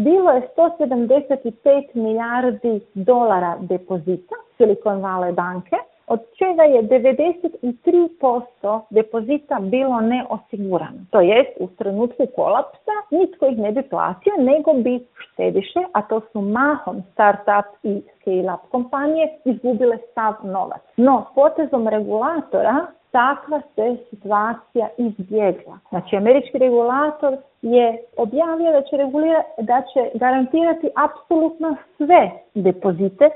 bilo je 175 milijardi dolara depozita Silicon Valley banke, od čega je 93% depozita bilo neosigurano. To jest, u trenutku kolapsa nitko ih ne bi platio, nego bi štediše, a to su mahom startup i scale-up kompanije, izgubile sav novac. No, potezom regulatora takva se situacija izbjegla. Znači, američki regulator je objavio da će garantirati apsolutno sve depozite